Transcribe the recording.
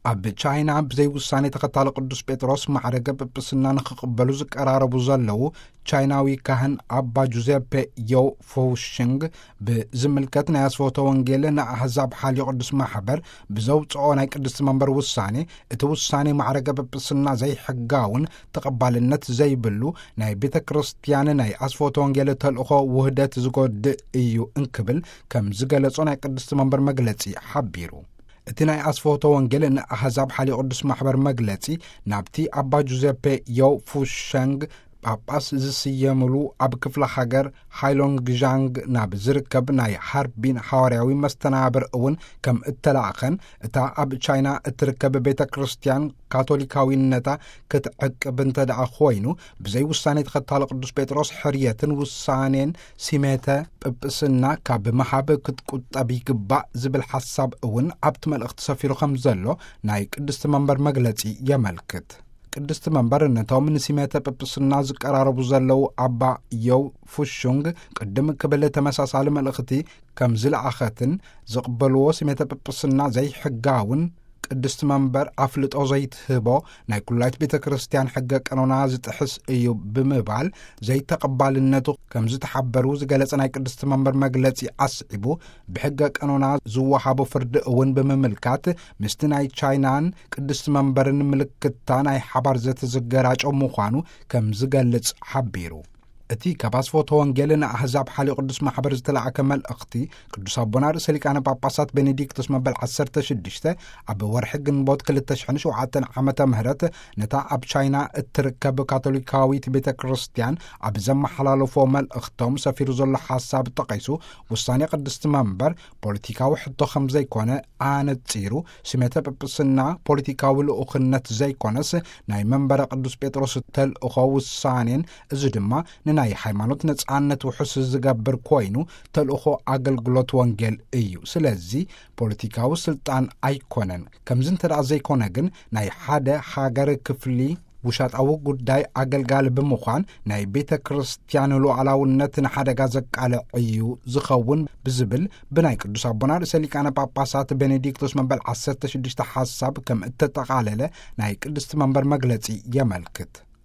ኣብ ቻይና ብዘይ ውሳኔ ተኸታሊ ቅዱስ ጴጥሮስ ማዕረገ ጵጵስና ንኽቕበሉ ዝቀራረቡ ዘለዉ ቻይናዊ ካህን ኣባ ጁዜፔ ዮው ፉሽንግ ብዝምልከት ናይ ኣስፈወተ ወንጌል ንኣህዛብ ሓልዮ ቅዱስ ማሕበር ብዘውፅኦ ናይ ቅድስቲ መንበር ውሳኔ፣ እቲ ውሳኔ ማዕረገ ጵጵስና ዘይሕጋውን ተቐባልነት ዘይብሉ ናይ ቤተ ክርስቲያን ናይ ኣስፈወተ ወንጌል ተልእኾ ውህደት ዝጎድእ እዩ እንክብል ከም ዝገለጾ ናይ ቅድስቲ መንበር መግለጺ ሓቢሩ። እቲ ናይ ኣስፈወተ ወንጌል ንኣህዛብ ሓልዮ ቅዱስ ማሕበር መግለጺ ናብቲ ኣባ ጁዘፔ ዮው ፉሸንግ ጳጳስ ዝስየምሉ ኣብ ክፍለ ሃገር ሃይሎንግ ዣንግ ናብ ዝርከብ ናይ ሃርቢን ሓዋርያዊ መስተናብር እውን ከም እተላእኸን፣ እታ ኣብ ቻይና እትርከብ ቤተ ክርስቲያን ካቶሊካዊነታ ክትዕቅብ እንተ ደኣ ኮይኑ፣ ብዘይ ውሳኔ ተኸታሊ ቅዱስ ጴጥሮስ ሕርየትን ውሳኔን ሲሜተ ጵጵስና ካብ ምሃብ ክትቁጠብ ይግባእ ዝብል ሓሳብ እውን ኣብቲ መልእኽቲ ሰፊሩ ከም ዘሎ ናይ ቅድስቲ መንበር መግለጺ የመልክት። ቅድስቲ መንበር ነቶም ንሲሜተ ጵጵስና ዝቀራረቡ ዘለዉ ኣባ ዮው ፉሹንግ ቅድም ክብል ተመሳሳሊ መልእኽቲ ከም ዝለኣኸትን፣ ዝቕበልዎ ሲሜተ ጵጵስና ዘይሕጋውን ቅድስቲ መንበር ኣፍልጦ ዘይትህቦ ናይ ኩላይት ቤተ ክርስቲያን ሕገ ቀኖና ዝጥሕስ እዩ ብምባል ዘይተቐባልነቱ ከም ዝተሓበሩ ዝገለጸ ናይ ቅድስቲ መንበር መግለጺ ኣስዒቡ፣ ብሕገ ቀኖና ዝወሃቦ ፍርዲ እውን ብምምልካት ምስቲ ናይ ቻይናን ቅድስቲ መንበርን ምልክታ ናይ ሓባር ዘተ ዝገራጮ ምዃኑ ከም ዝገልጽ ሓቢሩ። እቲ ካብ ኣስፎተ ወንጌል ንኣህዛብ ሓልዮ ቅዱስ ማሕበር ዝተላእከ መልእኽቲ፣ ቅዱስ ኣቦና ርእሰ ሊቃነ ጳጳሳት ቤኔዲክቶስ መበል ዓሰርተ ሽዱሽተ ኣብ ወርሒ ግንቦት ክልተ ሽሕን ሸውዓተን ዓመተ ምህረት ነታ ኣብ ቻይና እትርከብ ካቶሊካዊት ቤተ ክርስቲያን ኣብ ዘመሓላለፎ መልእኽቶም ሰፊሩ ዘሎ ሓሳብ ጠቒሱ፣ ውሳኔ ቅድስቲ መንበር ፖለቲካዊ ሕቶ ከም ዘይኮነ ኣነጺሩ፣ ስሜተ ጵጵስና ፖለቲካዊ ልኡኽነት ዘይኮነስ ናይ መንበረ ቅዱስ ጴጥሮስ ተልእኾ ውሳኔን፣ እዚ ድማ ንናይ ሃይማኖት ነጻነት ውሑስ ዝገብር ኮይኑ፣ ተልእኾ ኣገልግሎት ወንጌል እዩ። ስለዚ ፖለቲካዊ ስልጣን ኣይኮነን። ከምዚ እንተ ደኣ ዘይኮነ ግን፣ ናይ ሓደ ሃገር ክፍሊ ውሻጣዊ ጉዳይ ኣገልጋሊ ብምዃን፣ ናይ ቤተ ክርስቲያን ሉዓላውነት ንሓደጋ ዘቃልዕ እዩ ዝኸውን ብዝብል፣ ብናይ ቅዱስ ኣቦና ርእሰ ሊቃነ ጳጳሳት ቤኔዲክቶስ መበል ዓሰርተ ሽዱሽተ ሓሳብ ከም እተጠቓለለ ናይ ቅድስቲ መንበር መግለጺ የመልክት።